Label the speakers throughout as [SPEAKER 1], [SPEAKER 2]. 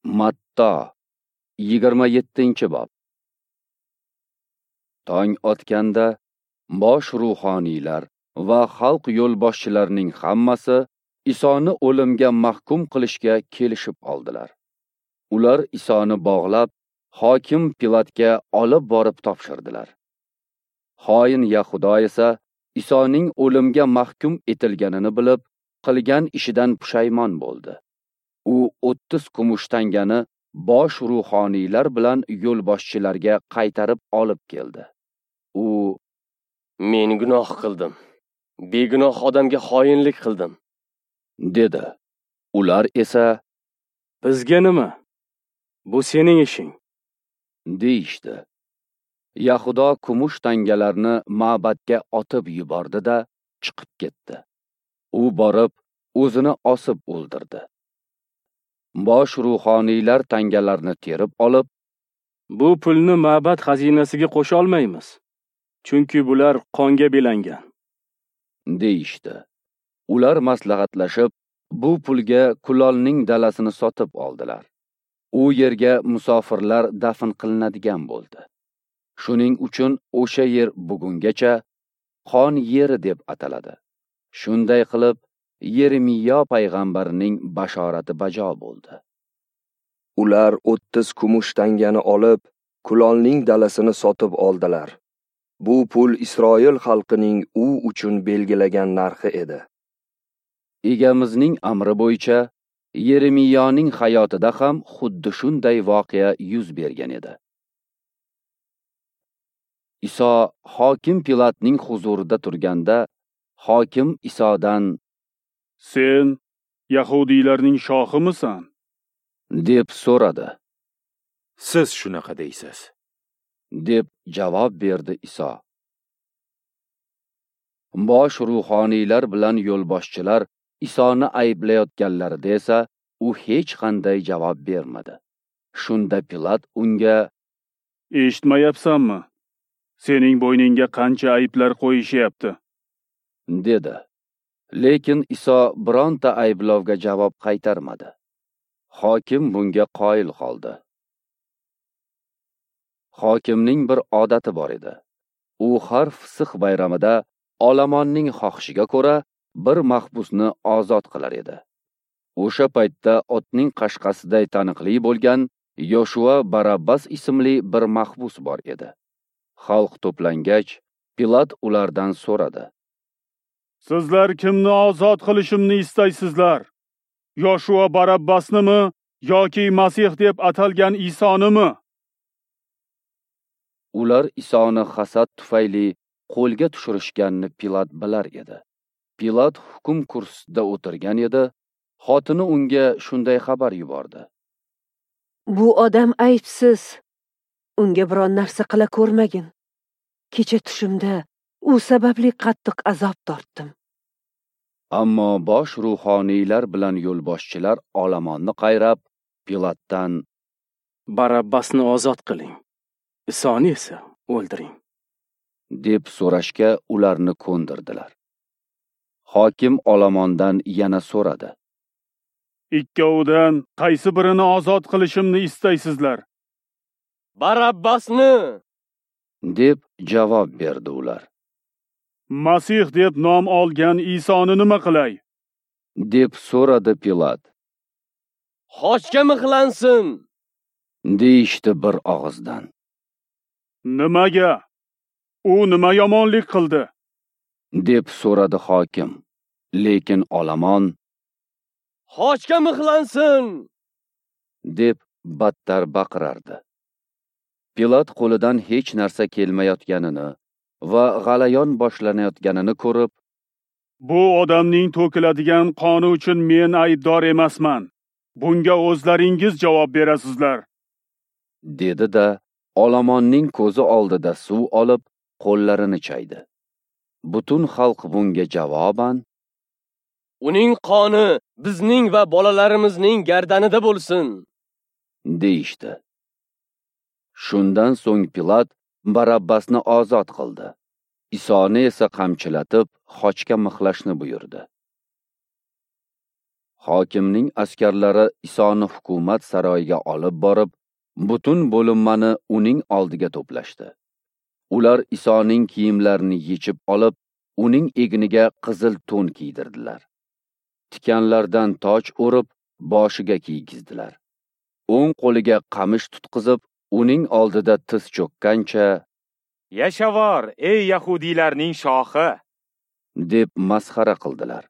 [SPEAKER 1] Matto 27-bob. Tong otganda bosh ruhoniylar va xalq yo'lboshchilarining hammasi Isoni o'limga mahkum qilishga kelishib oldilar. Ular Isoni bog'lab, hokim Pilatga olib borib topshirdilar. Xoin Yahudo esa Isoning o'limga mahkum etilganini bilib, qilgan ishidan pushaymon bo'ldi. U 30 kumush tangani bosh ruhoniylar bilan yo'lboshchilarga qaytarib olib keldi. U:
[SPEAKER 2] "Men gunoh qildim. Begunoh odamga xoinlik qildim",
[SPEAKER 1] dedi. Ular esa:
[SPEAKER 3] "Bizga nima? Bu sening ishing",
[SPEAKER 1] deyishdi. Yahudo kumush tangalarni ma'batga otib yubordi-da, chiqib ketdi. U borib, o'zini osib o'ldirdi. Bosh ruhoniylar tangalarni terib olib,
[SPEAKER 3] "Bu pulni ma'bad xazinasiga qo'sha olmaymiz, chunki bular qonga belangan",
[SPEAKER 1] deyishdi. Ular maslahatlashib, bu pulga kulolning dalasini sotib oldilar. U yerga musofirlar dafn qilinadigan bo'ldi. Shuning uchun o'sha yer bugungacha qon yeri deb ataladi. Shunday qilib, Yeremiya payg'ambarning bashorati bajo bo'ldi.
[SPEAKER 4] Ular 30 kumush tangani olib, kulolning dalasini sotib oldilar. Bu pul Isroil xalqining u uchun belgilagan narxi edi.
[SPEAKER 1] Egamizning amri bo'yicha Yeremiyaning hayotida ham xuddi shunday voqea yuz bergan edi. Iso hokim Pilatning huzurida turganda, hokim Isodan:
[SPEAKER 5] "Sen yahudiylarning shohimisan?"
[SPEAKER 1] deb so'radi.
[SPEAKER 6] "Siz shunaqa deysiz",
[SPEAKER 1] deb javob berdi Iso. Bosh ruhoniylar bilan yo'lboshchilar Isoni ayblayotganlarida esa u hech qanday javob bermadi. Shunda Pilat unga:
[SPEAKER 5] "Eshitmayapsanmi? Sening bo'yningga qancha ayblar qo'yishyapti?"
[SPEAKER 1] dedi. Lekin Iso bironta ayblovga javob qaytarmadi. Hokim bunga qoyil qoldi. Hokimning bir odati bor edi. U har Fisix bayramida olomonning xohishiga ko'ra bir mahbusni ozod qilar edi. O'sha paytda otning qashqasiday taniqli bo'lgan Yoshua Barabbas ismli bir mahbus bor edi. Xalq to'plangach, Pilat ulardan so'radi:
[SPEAKER 5] "Sizlar kimni ozod qilishimni istaysizlar? Yoshua Barabbasnimi yoki Masih deb atalgan Isonimi?"
[SPEAKER 1] Ular Isoni hasad tufayli qo'lga tushirishganini Pilat bilar edi. Pilat hukm kursisida o'tirgan edi. Xotini unga shunday xabar yubordi:
[SPEAKER 7] "Bu odam aybsiz. Unga biron narsa qila ko'rmagin. Kecha tushimda u sababli qattiq azob tortdim."
[SPEAKER 1] Ammo bosh ruhoniylar bilan yo'lboshchilar olomonni qayrab, Pilatdan:
[SPEAKER 3] "Barabbasni ozod qiling, Isoni esa o'ldiring",
[SPEAKER 1] deb so'rashga ularni ko'ndirdilar. Hokim olomondan yana so'radi:
[SPEAKER 5] "Ikkovidan qaysi birini ozod qilishimni istaysizlar?"
[SPEAKER 2] "Barabbasni",
[SPEAKER 1] deb javob berdi ular.
[SPEAKER 5] "Masih deb nom olgan Isoni nima qilay?"
[SPEAKER 1] deb so'radi Pilat.
[SPEAKER 2] "Xochga mixlansin",
[SPEAKER 1] deyishdi bir og'izdan.
[SPEAKER 5] "Nimaga? U nima yomonlik qildi?"
[SPEAKER 1] deb so'radi hokim. Lekin olomon:
[SPEAKER 2] "Xochga mixlansin",
[SPEAKER 1] deb battar baqirardi. Pilat qo'lidan hech narsa kelmayotganini va g'alayon boshlanayotganini ko'rib,
[SPEAKER 5] "Bu odamning to'kiladigan qoni uchun men aybdor emasman. Bunga o'zlaringiz javob berasizlar",
[SPEAKER 1] dedi-da, olomonning ko'zi oldida suv olib, qo'llarini chaydi. Butun xalq bunga javoban:
[SPEAKER 2] "Uning qoni bizning va bolalarimizning gardanida bo'lsin",
[SPEAKER 1] deyishdi. Shundan so'ng Pilat Barabbasni ozod qildi. Isoni esa qamchilatib, xochga mixlashni buyurdi. Hokimning askarlari Isoni hukumat saroyiga olib borib, butun bo'linmani uning oldiga to'plashdi. Ular Isoning kiyimlarini yechib olib, uning egniga qizil to'n kiydirdilar. Tikanlardan toj o'rib, boshiga kiygizdilar. O'ng qo'liga qamish tutqizib, uning oldida tiz cho'kkancha,
[SPEAKER 6] "Yashavor, ey yahudiylarning shohi!"
[SPEAKER 1] deb masxara qildilar.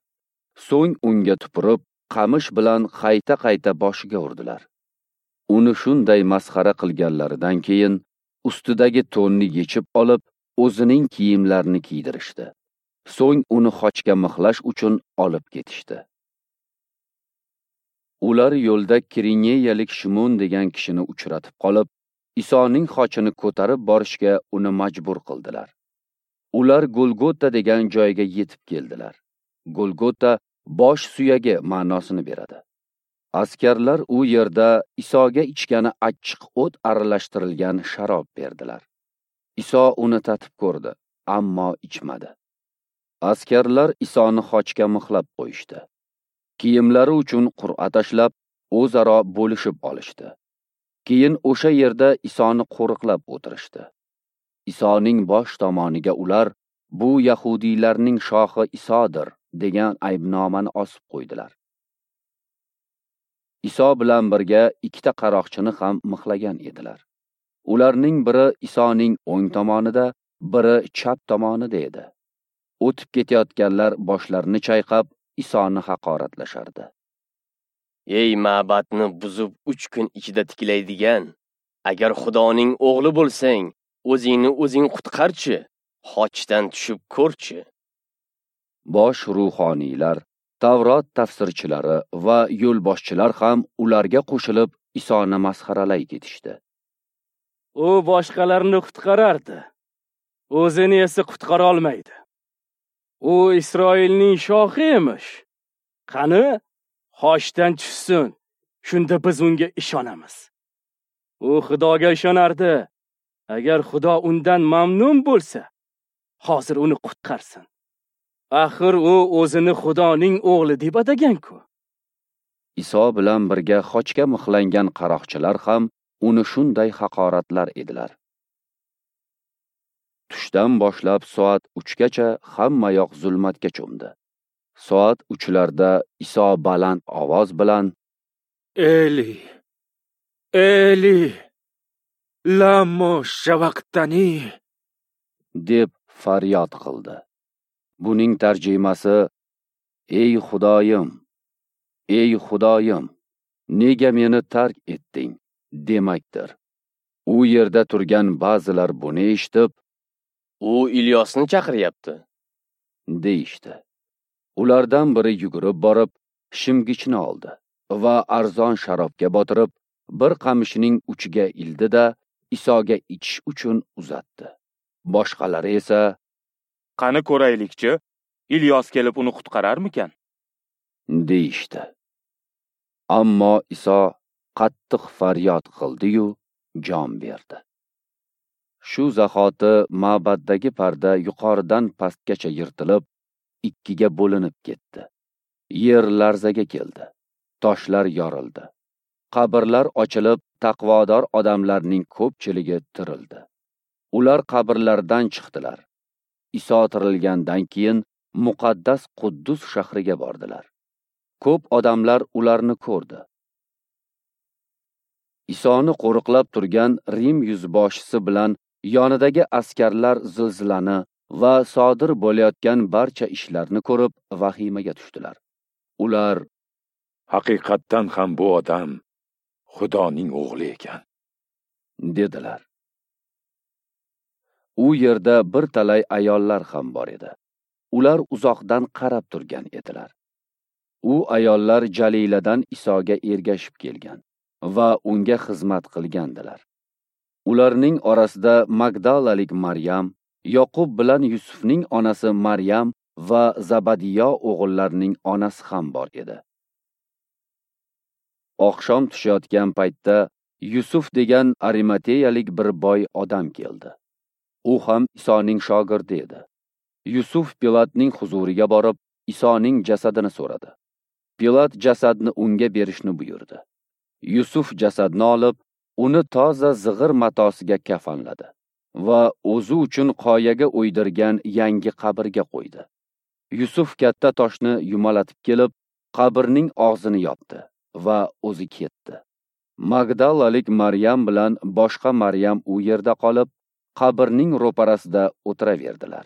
[SPEAKER 1] So'ng unga tupurib, qamish bilan qayta-qayta boshiga urdilar. Uni shunday masxara qilganlaridan keyin ustidagi to'nni yechib olib, o'zining kiyimlarini kiydirishdi. So'ng uni xochga mixlash uchun olib ketishdi. Ular yo'lda Kirineyalik Shimon degan kishini uchratib qolib, Isoning xochini ko'tarib borishga uni majbur qildilar. Ular Golgota degan joyga yetib keldilar. Golgota bosh suyagi ma'nosini beradi. Askarlar u yerda Isoga ichgani achchiq o't aralashtirilgan sharob berdilar. Iso uni tatib ko'rdi, ammo ichmadi. Askarlar Isoni xochga mixlab qo'yishdi. Kiyimlari uchun qur'a tashlab, o'zaro bo'lishib olishdi. Keyin o'sha yerda Isoni qo'riqlab o'tirishdi. Isoning bosh tomoniga ular "Bu yahudiylarning shohi Isodir" degan aybnomani osib qo'ydilar. Iso bilan birga ikkita qaroqchini ham mixlagan edilar. Ularning biri Isoning o'ng tomonida, biri chap tomonida edi. O'tib ketayotganlar boshlarini chayqab, Isoni haqoratlashardi.
[SPEAKER 2] Ey ma'batni buzib 3 kun ichida tiklaydigan, agar Xudoning o'g'li bo'lsang, o'zingni o'zing qutqarchi, xochdan tushib ko'rchi.
[SPEAKER 1] Bosh ruhoniylar, Tavrot tafsirchilari va yo'lboshchilar ham ularga qo'shilib Isoni masxaralay ketishdi.
[SPEAKER 3] U boshqalarni qutqarardi, o'zini esa qutqara olmaydi. U Isroilning shohi emish. Qani, xochdan tushsin, shunda biz unga ishonamiz. U Xudoga ishonardi. Agar Xudo undan mamnun bo'lsa, hozir uni qutqarsin. Axir u o'zini Xudoning o'g'li deb atagan-ku.
[SPEAKER 1] Iso bilan birga xochga mixlangan qaroqchilar ham uni shunday haqoratlar edilar. Tushdan boshlab soat 3 gacha hammayoq zulmatga cho'mdi. Soat 3larda Iso baland ovoz bilan
[SPEAKER 6] "Eli, Eli, lamo shavaqtani"
[SPEAKER 1] deb faryod qildi. Buning tarjimasi: "Ey Xudoyim, ey Xudoyim, nega meni tark etding?" demakdir. U yerda turgan ba'zilar buni eshitib,
[SPEAKER 2] "U Ilyosni chaqiryapti"
[SPEAKER 1] deyishdi. Ulardan biri yugurib borib, shimgichni oldi va arzon sharobga botirib, bir qamishning uchiga ildi-da, Isoga ichish uchun uzatdi. Boshqalari esa,
[SPEAKER 6] "Qani ko'raylikchi, Ilyos kelib uni qutqararmikan?"
[SPEAKER 1] deyishdi. Ammo Iso qattiq faryod qildi-yu, jon berdi. Shu zahoti ma'baddagi parda yuqoridan pastgacha yirtilib, ikkiga bo'linib ketdi. Yer larzaga keldi. Toshlar yorildi. Qabrlar ochilib, taqvodor odamlarning ko'pchiligi tirildi. Ular qabrlardan chiqdilar. Iso tirilgandan keyin muqaddas Quddus shahriga bordilar. Ko'p odamlar ularni ko'rdi. Isoni qo'riqlab turgan Rim yuzboshisi bilan yonidagi askarlar zilzilani va sodir bo'layotgan barcha ishlarni ko'rib vahimaga tushdilar. Ular:
[SPEAKER 6] "Haqiqatdan ham bu odam Xudoning o'g'li ekan"
[SPEAKER 1] dedilar. U yerda bir talay ayollar ham bor edi. Ular uzoqdan qarab turgan edilar. U ayollar Jaliladan Isoga ergashib kelgan va unga xizmat qilgandilar. Ularning orasida Magdalalik Maryam, Yoqub bilan Yusufning onasi Maryam va Zabadiyo o'g'illarining onasi ham bor edi. Oqshom tushayotgan paytda Yusuf degan Arimateyalik bir boy odam keldi. U ham Isoning shogirdi edi. Yusuf Pilatning huzuriga borib, Isoning jasadini so'radi. Pilat jasadni unga berishni buyurdi. Yusuf jasadni olib, uni toza zig'ir matosiga kafanladi va o'zi uchun qoyaga o'ydirgan yangi qabrga qo'ydi. Yusuf katta toshni yumalatib kelib, qabrning og'zini yopdi va o'zi ketdi. Magdalalik Maryam bilan boshqa Maryam u yerda qolib, qabrning ro'parasida o'tiraverdilar.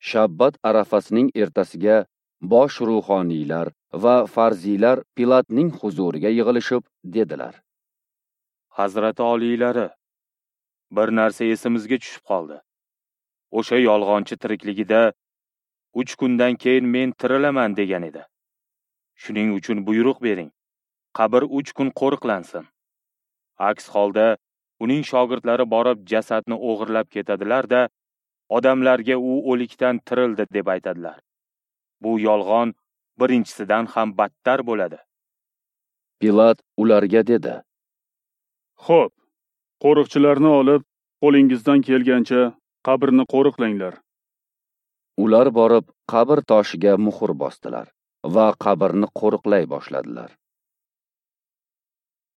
[SPEAKER 1] Shabbat arafasining ertasiga bosh ruhoniylar va farziylar Pilatning huzuriga yig'ilishib dedilar:
[SPEAKER 8] Hazrati oliylari, bir narsa esimizga tushib qoldi. O'sha yolg'onchi tirikligida 3 kundan keyin men tirilaman degan edi. Shuning uchun buyruq bering, qabr 3 kun qo'riqlansin. Aks holda uning shogirdlari borib jasadni o'g'irlab ketadilar-da, odamlarga u o'likdan tirildi deb aytadilar. Bu yolg'on birinchisidan ham battar bo'ladi.
[SPEAKER 1] Pilat ularga dedi:
[SPEAKER 5] Xo'p, qo'riqchilarni olib, qo'lingizdan kelgancha qabrni qo'riqlanglar.
[SPEAKER 1] Ular borib qabr toshiga muhr bosdilar va qabrni qo'riqlay boshladilar.